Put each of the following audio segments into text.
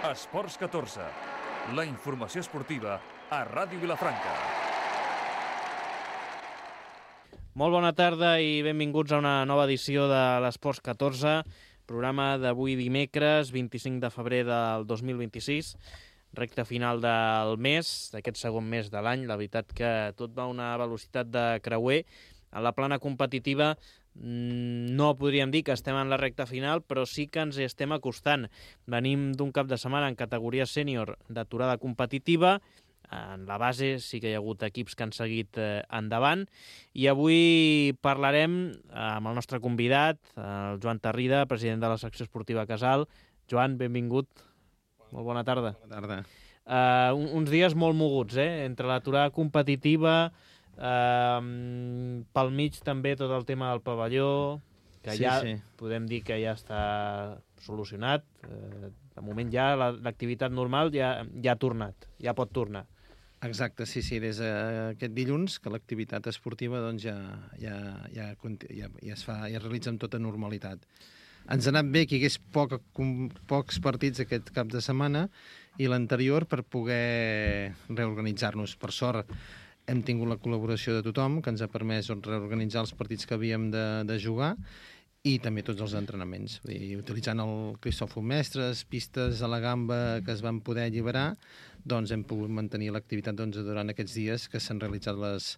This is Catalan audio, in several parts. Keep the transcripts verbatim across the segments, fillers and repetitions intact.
Esports catorze, la informació esportiva a Ràdio Vilafranca. Molt bona tarda i benvinguts a una nova edició de l'Esports catorze, programa d'avui dimecres, vint-i-cinc de febrer del dos mil vint-i-sis, recta final del mes, d'aquest segon mes de l'any. La veritat que tot va a una velocitat de creuer. A la plana competitiva no podríem dir que estem en la recta final, però sí que ens hi estem acostant. Venim d'un cap de setmana en categoria sènior d'aturada competitiva. En la base sí que hi ha hagut equips que han seguit eh, endavant, i avui parlarem amb el nostre convidat, el Joan Tarrida, president de la secció esportiva Casal. Joan, benvingut. Molt bona tarda. Bona tarda. Uh, uns dies molt moguts, eh? Entre l'aturada competitiva, uh, pel mig també tot el tema del pavelló, que Sí, ja sí. podem dir que ja està solucionat. Uh, de moment ja la- l'activitat normal ja, ja ha tornat, ja pot tornar. Exacte, sí, sí, des d'aquest dilluns que l'activitat esportiva doncs, ja, ja, ja, conti- ja, ja, es fa, ja es realitza amb tota normalitat. Ens ha anat bé que hi hagués poc, com, pocs partits aquest cap de setmana i l'anterior per poder reorganitzar-nos. Per sort hem tingut la col·laboració de tothom, que ens ha permès doncs, reorganitzar els partits que havíem de, de jugar i també tots els entrenaments. Vull dir, utilitzant el Cristòfol Mestres, pistes a la gamba que es van poder alliberar, doncs hem pogut mantenir l'activitat doncs, durant aquests dies que s'han realitzat les,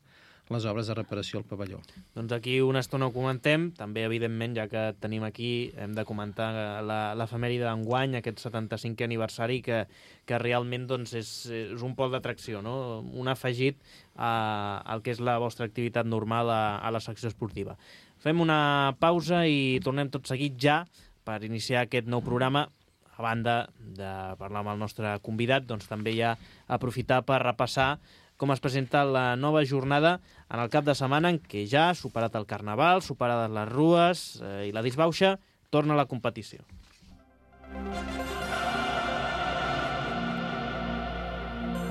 les obres de reparació al pavelló. Doncs aquí una estona ho comentem. També, evidentment, ja que tenim aquí, hem de comentar la- l'efemèride d'enguany, aquest setanta-cinquè aniversari, que, que realment doncs, és, és un pol d'atracció, no? Un afegit a, al que és la vostra activitat normal a, a la secció esportiva. Fem una pausa i tornem tot seguit ja per iniciar aquest nou programa. A banda de parlar amb el nostre convidat, doncs també ja aprofitar per repassar com es presenta la nova jornada en el cap de setmana en què ja, superat el Carnaval, superades les rues eh, i la disbauxa, torna a la competició.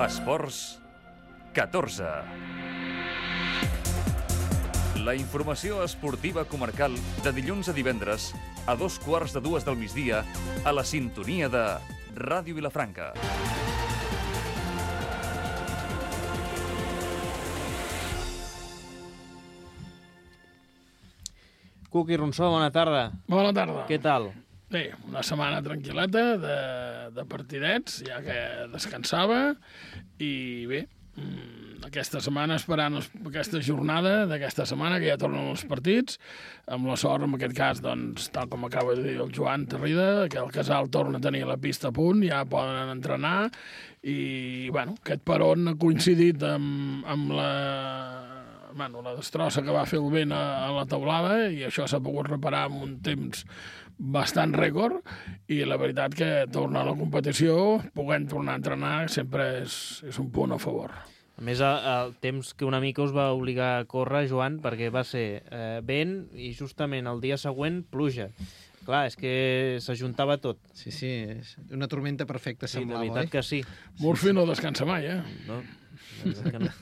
Esports catorze. La informació esportiva comarcal de dilluns a divendres a dos quarts de dues del migdia a la sintonia de Ràdio Vilafranca. Cuqui Ronsó, bona tarda. Bona tarda. Què tal? Bé, una setmana tranquil·leta de, de partidets, ja que descansava, i bé, mm, aquesta setmana esperant els, aquesta jornada d'aquesta setmana, que ja tornen els partits, amb la sort, en aquest cas, doncs, tal com acaba de dir el Joan Tarrida, que el Casal torna a tenir la pista a punt, ja poden entrenar, i, bueno, aquest peron ha coincidit amb, amb la... Bueno, la destrossa que va fer el vent a, a la teulada, i això s'ha pogut reparar en un temps bastant rècord, i la veritat que tornar a la competició, podent tornar a entrenar, sempre és, és un punt a favor. A més, el, el temps que una mica us va obligar a córrer, Joan, perquè va ser eh, vent i justament el dia següent pluja. Clar, és que s'ajuntava tot. Sí, sí, és una tormenta perfecta, Sí, de semblava, veritat oi? que sí. Murphy no descansa mai, eh? No, la veritat que no.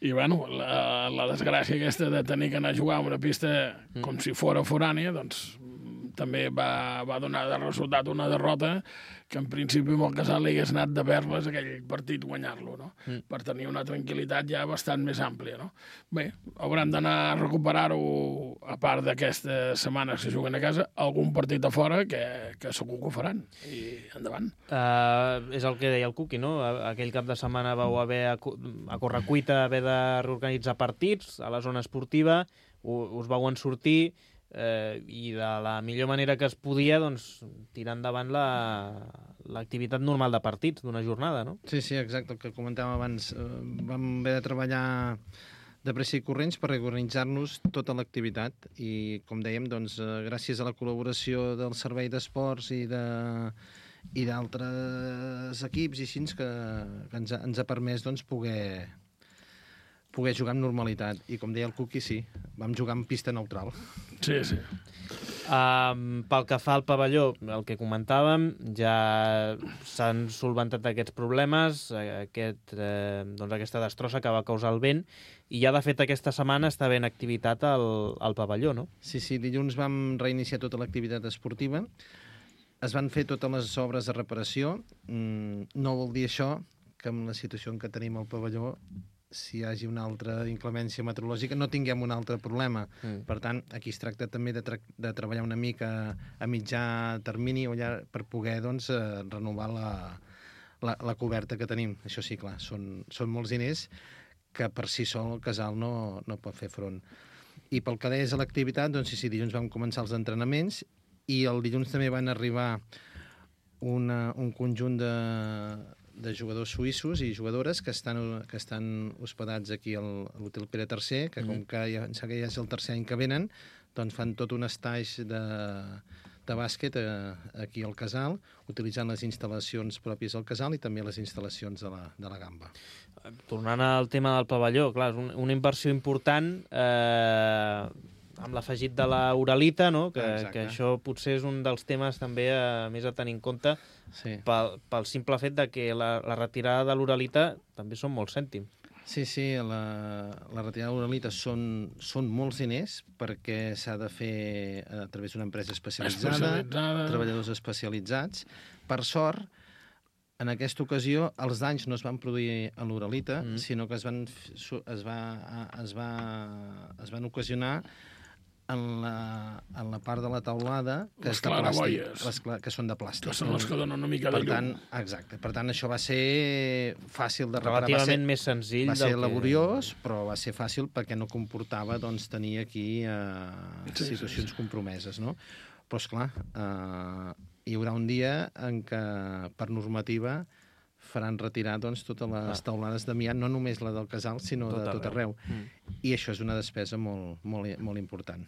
I, bueno, la, la desgràcia aquesta de tenir que anar a jugar a una pista com si fora forània, doncs també va, va donar de resultat una derrota que en principi amb el Casal li hagués anat de perles aquell partit guanyar-lo, no? Mm. Per tenir una tranquil·litat ja bastant més àmplia, no? Bé, hauran d'anar a recuperar-ho, a part d'aquestes setmanes que juguen a casa, algun partit a fora que, que segur que ho faran, i endavant. Uh, és el que deia el Cuqui, no? Aquell cap de setmana vau haver a, a correcuita haver de reorganitzar partits a la zona esportiva, us vau en sortir, eh, i de la millor manera que es podia, doncs, tirar endavant la, l'activitat normal de partits d'una jornada, no? Sí, sí, exacte, el que comentàvem abans. Eh, vam haver de treballar de pressa i corrents per reorganitzar-nos tota l'activitat i, com dèiem, doncs, eh, gràcies a la col·laboració del Servei d'Esports i de i d'altres equips i així que, que ens, ha, ens ha permès doncs, poder, poder jugar amb normalitat. I com deia el Cuqui, sí, vam jugar en pista neutral. Sí, sí. Um, pel que fa al pavelló, el que comentàvem, ja s'han solventat aquests problemes, aquest, eh, doncs aquesta destrossa que va causar el vent, i ja, de fet, aquesta setmana està ben activitat al, al pavelló, no? Sí, sí, dilluns vam reiniciar tota l'activitat esportiva. es van fer totes les obres de reparació. Mm, no vol dir això que amb la situació en què tenim al pavelló, si hi hagi una altra inclemència meteorològica, no tinguem un altre problema. Mm. Per tant, aquí es tracta també de, tra de treballar una mica a mitjà termini o ja per poder doncs, eh, renovar la, la, la coberta que tenim. Això sí, clar, són, són molts diners que per si sol el casal no, no pot fer front. I pel que deies a l'activitat, doncs sí, sí, dilluns vam començar els entrenaments i el dilluns també van arribar una, un conjunt de de jugadors suïssos i jugadores que estan, que estan hospedats aquí a l'Hotel Pere tercer, que com que ja, que ja és el tercer any que venen, doncs fan tot un estatge de, de bàsquet eh, aquí al casal, utilitzant les instal·lacions pròpies del casal i també les instal·lacions de la, de la Gamba. Tornant al tema del pavelló, clar, és un, una inversió important eh, amb l'afegit de la uralita, no? que, que això potser és un dels temes també a, més a tenir en compte, sí. pel, pel simple fet de que la, la retirada de l'uralita també són molts cèntims. Sí, sí, la, la retirada de l'uralita són, són molts diners perquè s'ha de fer a través d'una empresa especialitzada, especialitzada, treballadors especialitzats. Per sort, en aquesta ocasió, els danys no es van produir a l'uralita, mm. sinó que es van, es, va, es, va, es van ocasionar en la, en la part de la teulada que, les és de plàstic, les que són de plàstic. Que són les que donen una mica de per llum. Tant, exacte. Per tant, això va ser fàcil de reparar. Relativament més senzill. Va ser del laboriós, que... però va ser fàcil perquè no comportava doncs, tenir aquí eh, sí, situacions sí, sí. compromeses. No? Però, esclar, eh, hi haurà un dia en què, per normativa, faran retirar doncs, totes les ah. teulades d'amiant, no només la del casal, sinó tot de tot arreu. arreu. Mm. I això és una despesa molt, molt, molt important.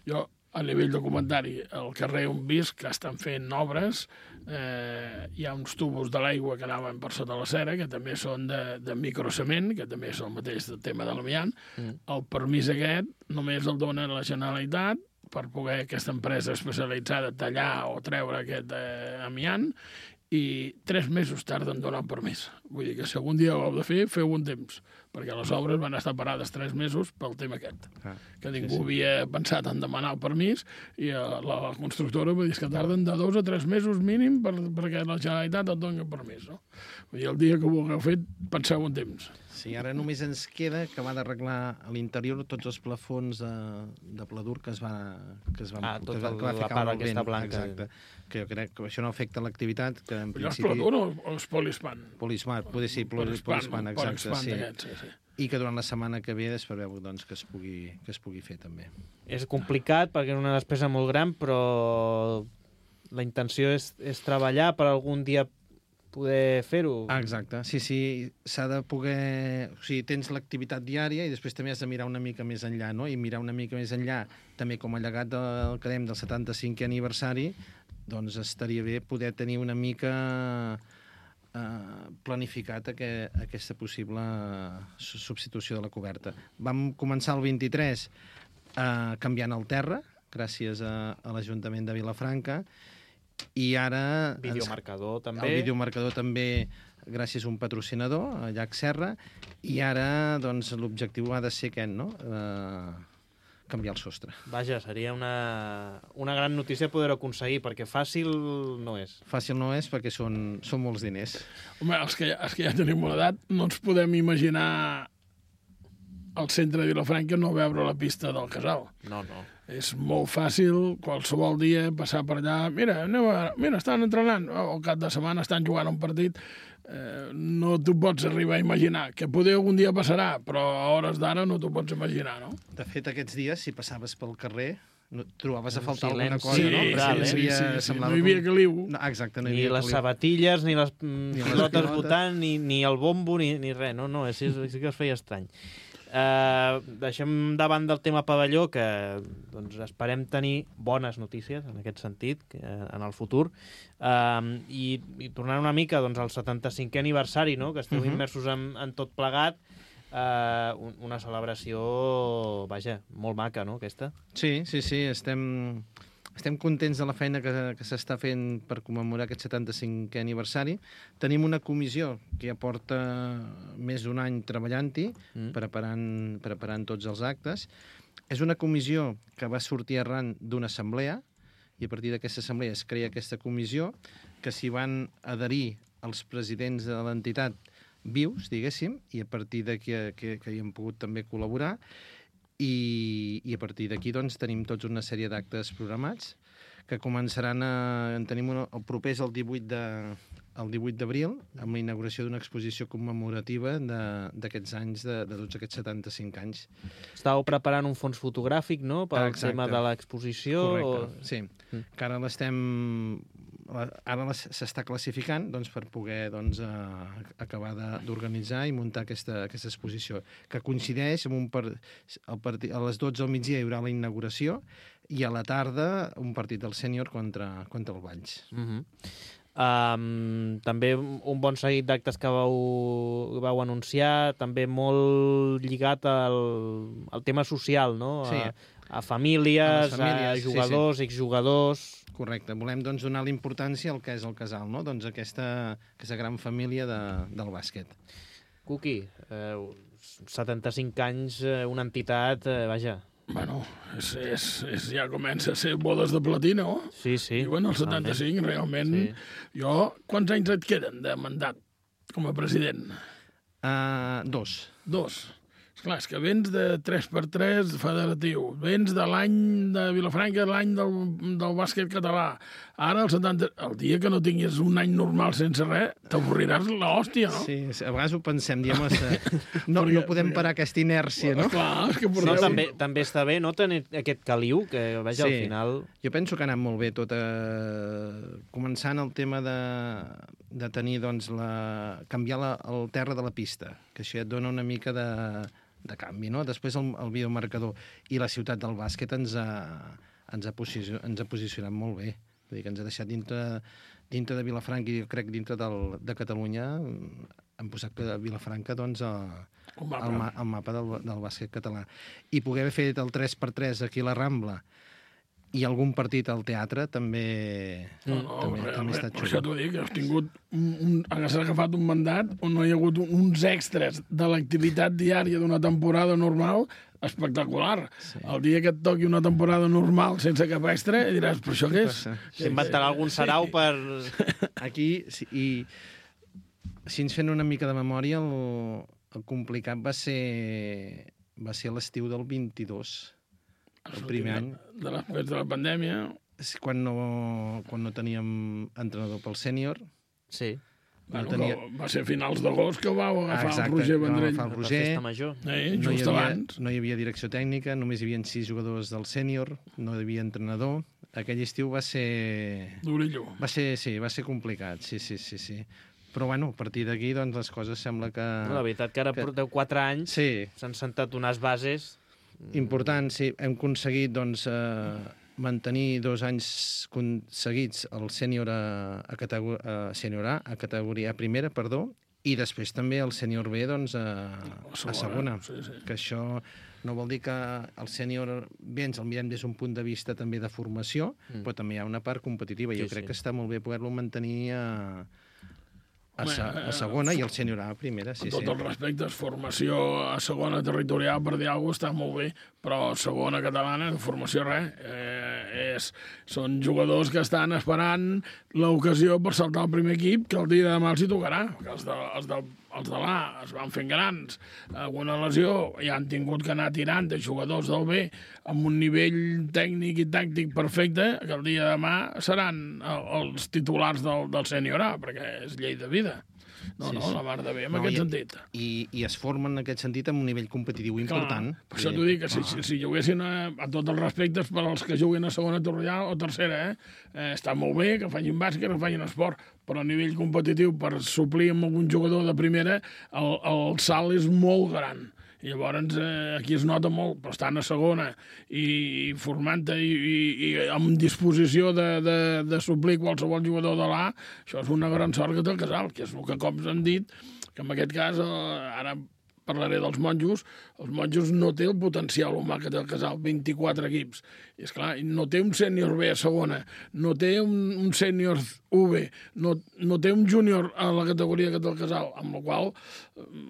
Jo, a nivell de comentari, al carrer on visc, que estan fent obres, eh, hi ha uns tubos de l'aigua que anaven per sota la cera, que també són de, de microcement, que també és el mateix tema de l'amiant. Mm. El permís aquest només el dona la Generalitat per poder aquesta empresa especialitzada tallar o treure aquest eh, amiant, i tres mesos tarden en donar un permís. Vull dir que si algun dia ho heu de fer, feu un temps, perquè les obres van estar parades tres mesos pel tema aquest, ah, que ningú sí, sí. havia pensat en demanar el permís, i la, la constructora va dir que tarden de dos a tres mesos mínim per, perquè la Generalitat et doni el permís. No? Vull dir, el dia que ho hagueu fet, penseu un temps. Sí, ara només ens queda acabar d'arreglar a l'interior tots els plafons de, de pladur que es va, que es van, ah, que es va, el, que va la part aquesta blanca. Exacte. Que jo crec que això no afecta l'activitat, que en Però principi... és pladur o és polispan? Polispan, poder ser polispan, exacte, sí. Aquest, sí, sí. I que durant la setmana que ve es preveu doncs, que, es pugui, que es pugui fer també. És complicat perquè és una despesa molt gran, però la intenció és, és treballar per algun dia poder fer-ho. Ah, exacte, sí, sí, s'ha de poder... O sigui, tens l'activitat diària i després també has de mirar una mica més enllà, no? I mirar una mica més enllà, també com a llegat del, que dèiem, del setanta-cinquè aniversari, doncs estaria bé poder tenir una mica eh, planificat aquest, aquesta possible substitució de la coberta. Vam començar el vint-i-tres eh, canviant el terra, gràcies a, a l'Ajuntament de Vilafranca, i ara... Videomarcador ens, també. El videomarcador també gràcies a un patrocinador, a Llac Serra, i ara doncs, l'objectiu ha de ser aquest, no? Eh, canviar el sostre. Vaja, seria una, una gran notícia poder-ho aconseguir, perquè fàcil no és. Fàcil no és perquè són, són molts diners. Home, els que, els que ja tenim una edat no ens podem imaginar al centre de Vilafranca no veure la pista del casal. No, no. És molt fàcil qualsevol dia passar per allà. Mira, anem a, mira, estan entrenant. O al cap de setmana estan jugant un partit. Eh, no t'ho pots arribar a imaginar. Que poder algun dia passarà, però a hores d'ara no t'ho pots imaginar, no? De fet, aquests dies, si passaves pel carrer, no, trobaves a faltar silenci, alguna cosa, sí, no? Brutal, sí, eh? sí, sí, sí, no hi havia caliu. No, exacte, no hi ni havia les caliu. sabatilles, ni les mm, ni pilotes botant, ni, ni el bombo, ni, ni res. No, no, sí, sí que es feia estrany. Uh, deixem davant del tema pavelló, que doncs, esperem tenir bones notícies en aquest sentit que, en el futur, uh, i, i tornant una mica doncs, al setanta-cinquè aniversari, no? Que esteu uh -huh. immersos en, en tot plegat, uh, un, una celebració, vaja, molt maca, no, aquesta? Sí, sí, sí, estem... Estem contents de la feina que, que s'està fent per commemorar aquest setanta-cinquè aniversari. Tenim una comissió que ja porta més d'un any treballant-hi, mm. preparant, preparant tots els actes. És una comissió que va sortir arran d'una assemblea, i a partir d'aquesta assemblea es crea aquesta comissió, que s'hi van adherir els presidents de l'entitat vius, diguéssim, i a partir d'aquí que, que hi hem pogut també col·laborar, i, i a partir d'aquí doncs, tenim tots una sèrie d'actes programats que començaran a... En tenim una, el proper és el divuit de, el divuit d'abril, amb la inauguració d'una exposició commemorativa d'aquests anys, de, de tots aquests setanta-cinc anys. Estàveu preparant un fons fotogràfic, no?, pel Exacte. tema de l'exposició. Correcte, o... sí. Mm. Que ara l'estem... Ara s'està classificant doncs, per poder doncs, uh, acabar d'organitzar i muntar aquesta, aquesta exposició, que coincideix amb un per... el partit... a les dotze del migdia hi haurà la inauguració i a la tarda un partit del sènior contra, contra el Valls. Uh-huh. Um, també un bon seguit d'actes que vau, vau anunciar, també molt lligat al, al tema social, no? Sí. A, a famílies, a, famílies, a jugadors, sí, sí. exjugadors... Correcte. Volem doncs, donar la importància al que és el casal, no? Doncs aquesta, aquesta gran família de, del bàsquet. Cuqui, eh, setanta-cinc anys, eh, una entitat, eh, vaja... Bueno, és, és, és, ja comença a ser bodes de platí, no? Sí, sí. I bueno, el setanta-cinc, realment... Sí. Jo, quants anys et queden de mandat com a president? Uh, dos. Dos. Esclar, és que vens de tres per tres federatiu, vens de l'any de Vilafranca, l'any del, del bàsquet català. Ara, el setanta... el dia que no tinguis un any normal sense res, t'avorriràs l'hòstia, no? Sí, a vegades ho pensem, diem, no, perquè, no podem parar aquesta inèrcia, no? Clar, és que porteu... no, també, també està bé, no, tenir aquest caliu, que vaja, sí. al final... Jo penso que ha anat molt bé tot, eh... començant el tema de, de tenir, doncs, la... canviar la, el terra de la pista, que això et dona una mica de... de canvi, no? Després el, el videomarcador i la ciutat del bàsquet ens ha, ens ha, posicio, ens ha posicionat molt bé. Vull dir que ens ha deixat dintre, dintre de Vilafranca i jo crec dintre del, de Catalunya hem posat que Vilafranca doncs, el, el mapa, el, el mapa del, del bàsquet català. I poder haver fet el tres per tres aquí a la Rambla i algun partit al teatre també, no, no, també, realment, també està xulo. Per això t'ho dic, has tingut un, un, has agafat un mandat on no hi ha hagut un, uns extras de l'activitat diària d'una temporada normal espectacular. Sí. El dia que et toqui una temporada normal sense cap extra diràs, però això què és? S'inventarà algun sarau sí. per... Aquí, sí, i si ens fent una mica de memòria, el, el complicat va ser, va ser l'estiu del vint-i-dos. El primer any. De la, de la pandèmia. Quan no, quan no teníem entrenador pel sènior. Sí. Bueno, no tenia... Va ser a finals d'agost que vau agafar Exacte, el Roger Vendrell. Va agafar el Roger. Eh, no, just hi havia, abans. no hi havia direcció tècnica, només hi havia sis jugadors del sènior, no hi havia entrenador. Aquell estiu va ser... Durillo. Va ser, sí, va ser complicat, sí, sí, sí, sí. Però, bueno, a partir d'aquí, doncs, les coses sembla que... No, la veritat que ara que... porteu quatre anys, sí. S'han sentat unes bases... Important, sí. Hem aconseguit doncs, eh, mantenir dos anys seguits el sènior a, a, categor a, sènior a, a categoria primera, perdó, i després també el sènior B doncs, a, a segona. A segona. Sí, sí. Que això no vol dir que el sènior bé ens el mirem des d'un punt de vista també de formació, mm. però també hi ha una part competitiva. Jo sí, crec sí. que està molt bé poder-lo mantenir a... A, se, a segona i el sènior A a primera, sí, amb tots sí. els respectes, formació a segona territorial, per dir alguna cosa, està molt bé, però segona catalana, formació res. Eh, és, són jugadors que estan esperant l'ocasió per saltar al primer equip, que el dia de demà els hi tocarà. Que els de, els de, els de l'A es van fent grans, alguna lesió, i han tingut que anar tirant de jugadors del B amb un nivell tècnic i tàctic perfecte, que el dia de demà seran els titulars del, del sènior A, perquè és llei de vida. No, sí, no, sí. La mar de bé, en no, aquest i, sentit. I, I es formen en aquest sentit amb un nivell competitiu important. Clar, per això t'ho dic, que si, si, si juguessin a, a tots els respectes per als que juguen a segona territorial o tercera, eh? eh, està molt bé que facin bàsquet, que facin esport, però a nivell competitiu, per suplir amb algun jugador de primera, el, el salt és molt gran. I llavors eh, aquí es nota molt, però estan a segona i formant-te i, i, i amb disposició de, de, de suplir qualsevol jugador de l'A, això és una gran sort que té el Casal, que és el que cops han dit, que en aquest cas, eh, ara parlaré dels monjos, els monjos no té el potencial humà que té el Casal, vint-i-quatre equips. I esclar, no té un sènior B a segona, no té un, un sènior U B, no, no té un júnior a la categoria que té el Casal, amb la qual,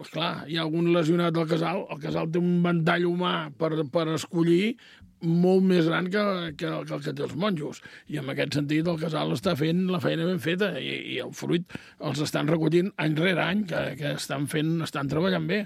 esclar, hi ha algun lesionat del Casal, el Casal té un ventall humà per, per escollir molt més gran que, que, que el que té els monjos. I en aquest sentit el Casal està fent la feina ben feta i, i el fruit els estan recollint any rere any, que, que estan fent, estan treballant bé.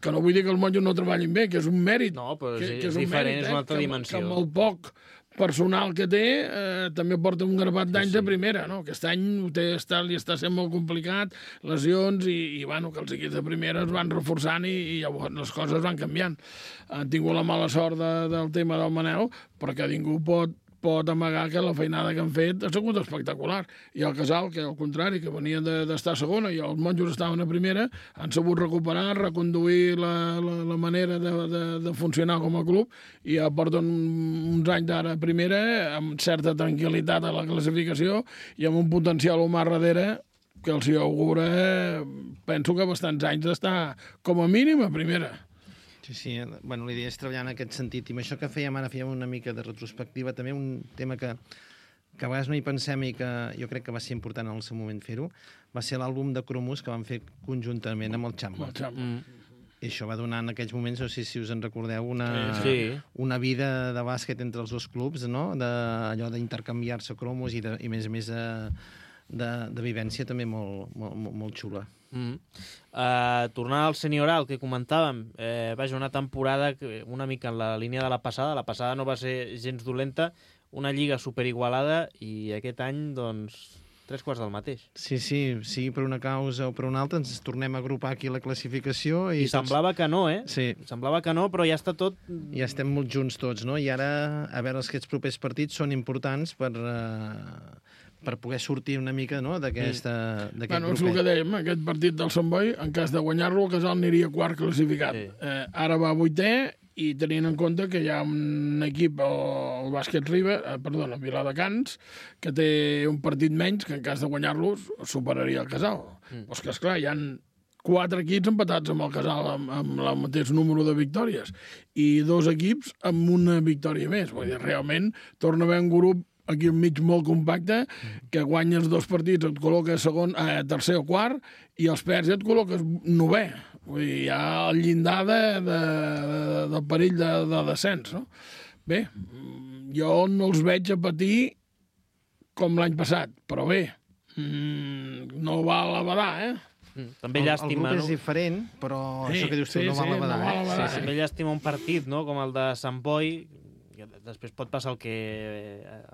Que no vull dir que els monjos no treballin bé, que és un mèrit. No, però que, és, que és un diferent, mèrit, és una altra que, dimensió. Que amb el poc personal que té eh, també porta un grapat d'anys sí, sí. de primera, no? Aquest any ho té, està, li està sent molt complicat, lesions i, i bueno, que els equips de primera es van reforçant i, i llavors les coses van canviant. Han tingut la mala sort de, del tema del Manel, però que ningú pot pot amagar que la feinada que han fet ha sigut espectacular. I el Casal, que al contrari, que venien d'estar a segona i els monjos estaven a primera, han sabut recuperar, reconduir la, la, la manera de, de, de funcionar com a club i ja porten uns anys d'ara a primera amb certa tranquil·litat a la classificació i amb un potencial humà darrere que els hi augura, penso que bastants anys d'estar com a mínim a primera. Sí, sí. Bueno, l'idea és treballar en aquest sentit. I amb això que fèiem ara, fèiem una mica de retrospectiva, també un tema que, que a vegades no hi pensem i que jo crec que va ser important en el seu moment fer-ho, va ser l'àlbum de cromos que van fer conjuntament amb el Xamba. El Xamba. Mm. I això va donar en aquells moments, no sé si us en recordeu, una, sí. una vida de bàsquet entre els dos clubs, no? De, allò d'intercanviar-se cromos i, de, i més a més de, de, de vivència també molt, molt, molt, molt xula. Mm. Uh, tornant al senioral que comentàvem, eh, vaja, una temporada que, una mica en la línia de la passada, la passada no va ser gens dolenta, una lliga superigualada i aquest any, doncs, tres quarts del mateix. Sí, sí, sí, per una causa o per una altra ens tornem a agrupar aquí la classificació. I, I tots... semblava que no, eh? Sí. Semblava que no, però ja està tot... Ja estem molt junts tots, no? I ara, a veure, els aquests propers partits són importants per... Uh... per poder sortir una mica no, d'aquest mm. bueno, és el que dèiem, aquest partit del Sant Boi, en cas de guanyar-lo, el Casal aniria quart classificat. Sí. Eh, ara va vuitè i tenint en compte que hi ha un equip, el Bàsquet Riba, eh, perdona, Viladecans, que té un partit menys que en cas de guanyar-lo superaria el Casal. Mm. Però és que, esclar, hi ha quatre equips empatats amb el Casal amb, amb el mateix número de victòries i dos equips amb una victòria més. Vull dir, realment torna a haver un grup aquí enmig molt compacte, que guanyes dos partits, et col·loques segon, eh, tercer o quart, i els perds et col·loques novè. Vull dir, hi ha el llindar de, de, de, del perill de, de descens, no? Bé, jo no els veig a patir com l'any passat, però bé, mmm, no val a badar, eh? Mm, també llàstima, el, el grup no? és diferent, però sí, això que dius tu sí, no val sí, a badar. No val a badar eh? Sí, sí. També llàstima un partit, no?, com el de Sant Boi, després pot passar el que eh,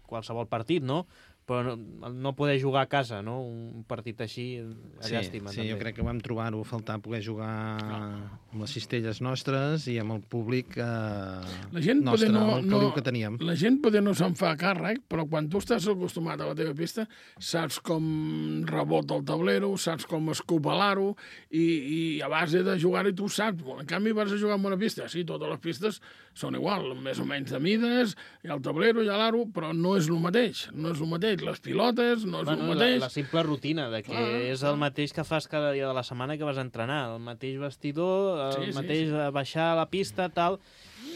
qualsevol partit, no? Però no, no poder jugar a casa, no? Un partit així, a sí, llàstima. Sí, també. Jo crec que vam trobar-ho a faltar poder jugar amb les cistelles nostres i amb el públic eh, la gent nostre, no, amb el caliu no, que teníem. La gent poder no se'n fa càrrec, però quan tu estàs acostumat a la teva pista, saps com rebota el tablero, saps com escopelar-ho, i, i a base de jugar-hi tu saps. En canvi, vas a jugar en una pista. Sí, totes les pistes són igual, més o menys de mides, hi ha el tablero, hi ha l'aro, però no és el mateix. No és el mateix. Les pilotes, no és bueno, el mateix. La, la simple rutina, de que ah, és el mateix que fas cada dia de la setmana que vas a entrenar, el mateix vestidor, el sí, mateix sí, sí. baixar a la pista, tal...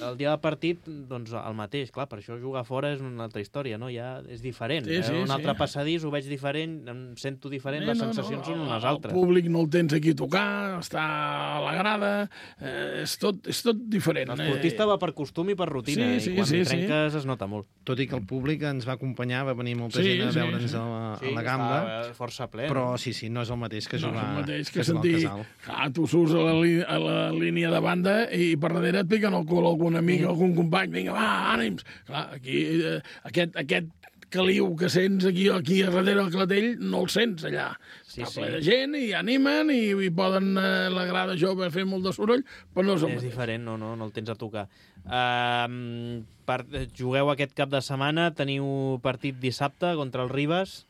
El dia del partit, doncs el mateix. Clar, per això jugar fora és una altra història, no? Ja és diferent. Sí, sí, un sí. altre passadís, ho veig diferent, em sento diferent, sí, les no, sensacions no, són unes el altres. El públic no el tens aquí a tocar, està a la grada, eh, és, tot, és tot diferent. L'esportista va per costum i per rutina, sí, sí, i quan sí, hi trenques sí. es nota molt. Tot i que el públic ens va acompanyar, va venir molta sí, gent a sí, veure'ns sí. a, la, sí, a la gamba, força ple. però sí, sí, no és el mateix que jugar, no és el mateix que, que sentir, jugar al Casal. Ah, tu surts a la, a la línia de banda i per darrere et piquen el cul algun amic, mm. algun company, vinga, va, ànims. Clar, aquí, eh, aquest, aquest caliu que sents aquí, aquí a darrere del Clatell, no el sents allà. Sí, Està sí. ple de gent i animen i, i poden eh, la grada jove fer molt de soroll, però no és el És mateix. diferent, no, no, no el tens a tocar. Uh, per, jugueu aquest cap de setmana, teniu partit dissabte contra el Ribes,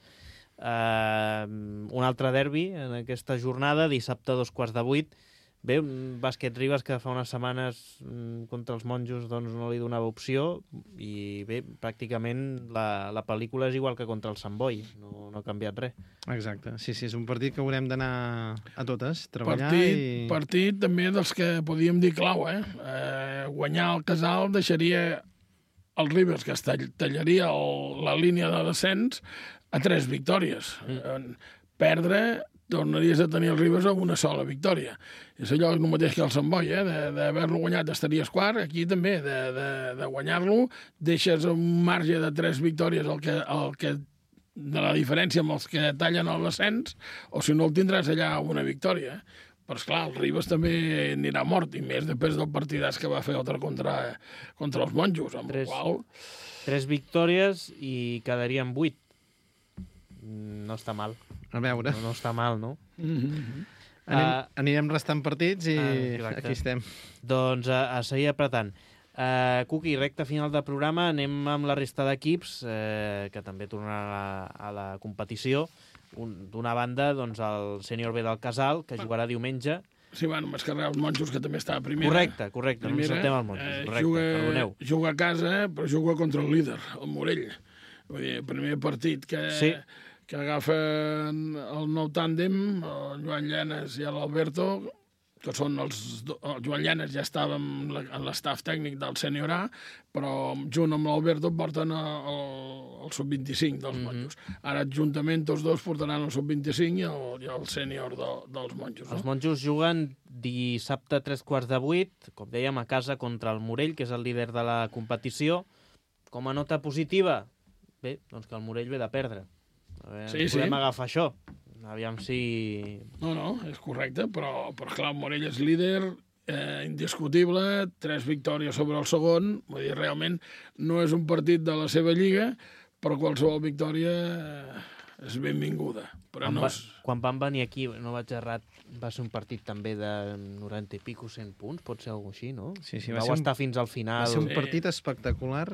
uh, un altre derbi en aquesta jornada, dissabte a dos quarts de vuit. Bé, un bàsquet Ribes que fa unes setmanes mm, contra els monjos doncs, no li donava opció i bé, pràcticament la, la pel·lícula és igual que contra el Sant Boi, no, no ha canviat res. Exacte, sí, sí, és un partit que haurem d'anar a totes, treballar partit, i... Partit també dels que podíem dir clau, eh? eh guanyar el Casal deixaria el Ribes, que es tall, tallaria el, la línia de descens, a tres victòries. Mm. Eh, perdre tornaries a tenir el Ribes amb una sola victòria. És allò el mateix que el Sant Boi, eh? D'haver-lo guanyat estaries quart, aquí també, de, de, de guanyar-lo, deixes un marge de tres victòries el que, el que, de la diferència amb els que tallen l'ascens, o si no el tindràs allà una victòria. Però, esclar, el Ribes també anirà mort, i més després del partidàs que va fer altre contra, contra els monjos, amb tres, el qual... Tres victòries i quedarien vuit. No està mal. A veure. No, no està mal, no? Mm-hmm. Anem, Uh, anirem restant partits i uh, aquí estem. Doncs a, a seguir apretant. Uh, Cuqui, recta final del programa, anem amb la resta d'equips, uh, que també tornaran a la, a la competició. D'una banda, doncs, el sènior B del Casal, que jugarà diumenge. Sí, bueno, m'has carregat els monjos, que també està a primera. Correcte, correcte, primera, no ens saltem els monjos. Correcte, juga, perdoneu. Juga a casa, però juga contra el líder, el Morell. Vull dir, el primer partit que, sí. que agafen el nou tàndem, el Joan Llanes i l'Alberto, que són els... El Joan Llanes ja estava en l'estaf tècnic del sènior A, però junt amb l'Alberto porten el, el sub vint-i-cinc dels monjos. Mm-hmm. Ara, juntament, tots dos portaran el sub vint-i-cinc i el, i el sènior de, dels monjos. No? Els monjos juguen dissabte a tres quarts de vuit, com dèiem, a casa contra el Morell, que és el líder de la competició. Com a nota positiva, bé, doncs que el Morell ve de perdre. A veure, sí, podem sí. agafar això. Aviam si... No, no, és correcte, però, però clar, el Morell és líder, eh, indiscutible, tres victòries sobre el segon, vull dir, realment no és un partit de la seva lliga, però qualsevol victòria eh, és benvinguda. Però quan, no va, és... quan van venir aquí, no vaig errat, va ser un partit també de noranta i pico, cent punts, pot ser alguna així, no? Sí, sí, va Vau ser estar un, fins al final. Va ser un Sí. partit espectacular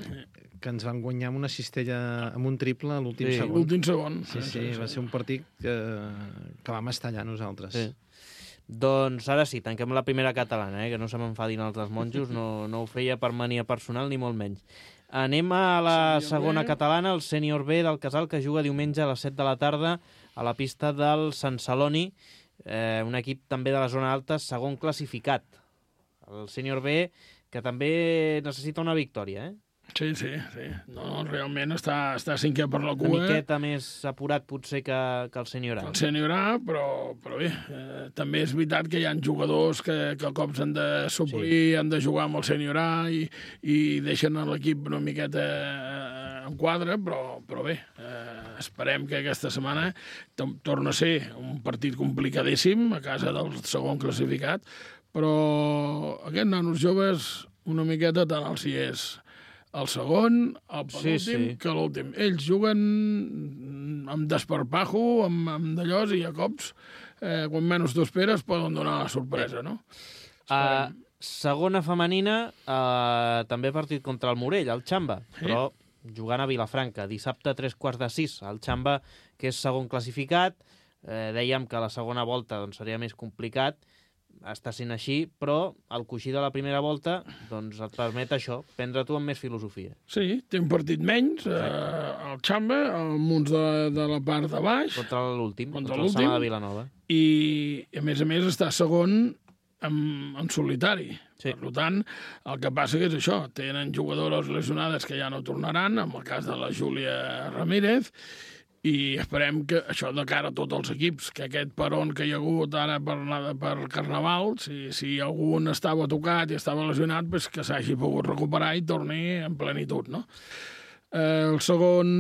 que ens van guanyar amb una cistella, amb un triple a l'últim Sí. segon. L'últim segon. Sí, sí, va ser un partit que, que vam estar allà nosaltres. Sí. Doncs ara sí, tanquem la primera catalana, eh? Que no se m'enfadin els dels monjos, no, no ho feia per mania personal ni molt menys. Anem a la Sènior segona B. catalana, el sènior B del Casal, que juga diumenge a les set de la tarda a la pista del Sant Celoni, eh, un equip també de la zona alta, segon classificat. El sènior B, que també necessita una victòria, eh? Sí, sí, sí. No, realment està, està cinquè per la Una cua. miqueta més apurat potser que, que el sènior A. El sènior A, però, però bé, eh, també és veritat que hi ha jugadors que, que cops han de suplir, sí. han de jugar amb el sènior A i, i deixen l'equip una miqueta eh, en quadre, però, però bé, eh, esperem que aquesta setmana torna a ser un partit complicadíssim a casa del segon classificat, però aquests nanos joves una miqueta tant els hi és el segon, el penúltim, sí, sí. que l'últim. Ells juguen amb desparpajo, amb, amb d'allòs, i a cops, eh, quan menys t'ho esperes, poden donar la sorpresa, no? Uh, segona femenina, uh, també partit contra el Morell, el Xamba, sí. Però jugant a Vilafranca, dissabte a tres quarts de sis. El Xamba, que és segon classificat, eh, dèiem que la segona volta doncs, seria més complicat, està sent així, però el coixí de la primera volta doncs, et permet això, prendre tu amb més filosofia. Sí, té un partit menys, eh, el Xamba, amb uns de, de la part de baix. Contra l'últim, contra, contra el Sama de Vilanova. I, a més a més, està segon en, en solitari. Sí. Per tant, el que passa que és això, tenen jugadores lesionades que ja no tornaran, en el cas de la Júlia Ramírez, i esperem que això de cara a tots els equips, que aquest peron que hi ha hagut ara per, per Carnaval, si, si algun estava tocat i estava lesionat, pues que s'hagi pogut recuperar i torni en plenitud, no? Eh, el segon,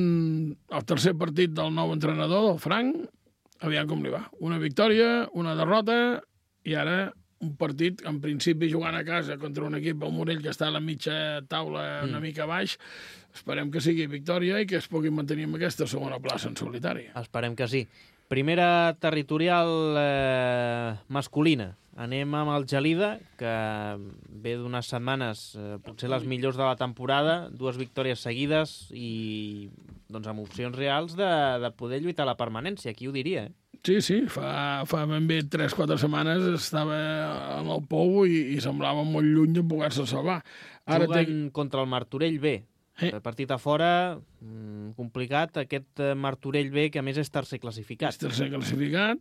el tercer partit del nou entrenador, del Frank, aviam com li va. Una victòria, una derrota, i ara un partit, en principi, jugant a casa contra un equip, el Morell, que està a la mitja taula una mm. mica baix. Esperem que sigui victòria i que es pugui mantenir en aquesta segona plaça en solitari. Esperem que sí. Primera territorial eh, masculina. Anem amb el Gelida, que ve d'unes setmanes, eh, potser les millors de la temporada, dues victòries seguides i doncs, amb opcions reals de, de poder lluitar a la permanència. Qui ho diria, eh? Sí, sí, fa, fa ben bé tres o quatre setmanes estava en el pou i, i semblava molt lluny de poder-se salvar. Ara Juguen té... contra el Martorell B. Eh. El partit a fora, mmm, complicat, aquest Martorell B, que a més és tercer classificat. És tercer classificat,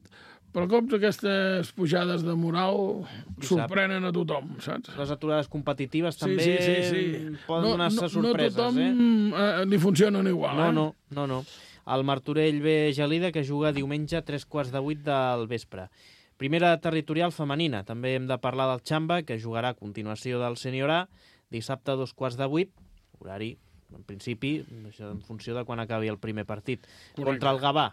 però cops aquestes pujades de moral sorprenen a tothom, saps? Les aturades competitives sí, també sí, sí, sí. poden no, donar-se no, sorpreses, no tothom, eh? eh? li funcionen igual, no, eh? No, no, no. el Martorell B Gelida, que juga diumenge a tres quarts de vuit del vespre. Primera territorial femenina. També hem de parlar del Xamba, que jugarà a continuació del Sènior A, dissabte a dos quarts de vuit, horari, en principi, això en funció de quan acabi el primer partit. Correcte. Contra el Gavà.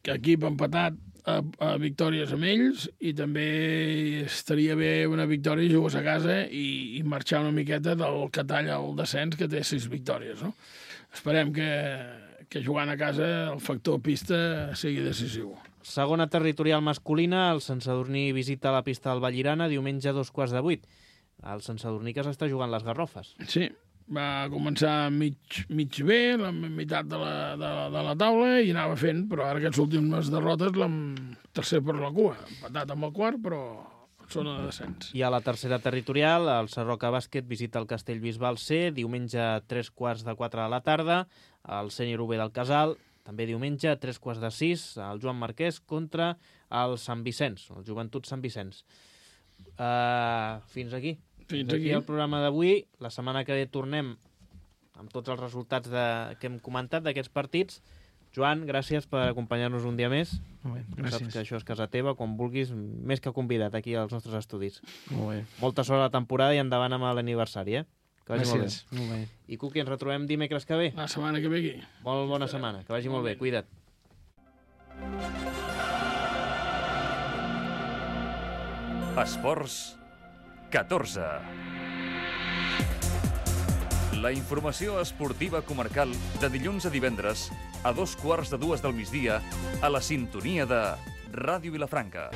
Que equip empatat a, a victòries amb ells, i també estaria bé una victòria i jugues a casa i, i marxar una miqueta del que talla el descens, que té sis victòries, no? Esperem que, que jugant a casa el factor pista sigui decisiu. Segona territorial masculina, el Sant Sadurní visita la pista del Vallirana diumenge a dos quarts de vuit. El Sant Sadurní que s'està jugant les garrofes. Sí, va començar mig, mig bé, la meitat de la, de, la, de la taula, i anava fent, però ara aquestes últimes derrotes l'hem tercer per la cua, empatat amb el quart, però zona de descens. I a la tercera territorial, el Sarroca Bàsquet visita el Castellbisbal C, diumenge a tres quarts de quatre de la tarda, el Sènior U B del Casal, també diumenge a tres quarts de sis, el Joan Marquès contra el Sant Vicenç, el Joventut Sant Vicenç. Uh, fins aquí. Fins aquí. aquí el programa d'avui. La setmana que ve tornem amb tots els resultats de, que hem comentat d'aquests partits. Joan, gràcies per acompanyar-nos un dia més. Molt bé, gràcies. Saps que això és casa teva, quan vulguis, més que convidat aquí als nostres estudis. Molt bé. Molta sort a la temporada i endavant amb l'aniversari, eh? Que vagi Gràcies. molt bé. Molt bé. I Cuqui, ens retrobem dimecres que ve. La setmana que ve aquí. Molt bona setmana, que vagi molt bé, cuida't. Esports catorze. La informació esportiva comarcal de dilluns a divendres a dos quarts de dues del migdia a la sintonia de Ràdio Vilafranca.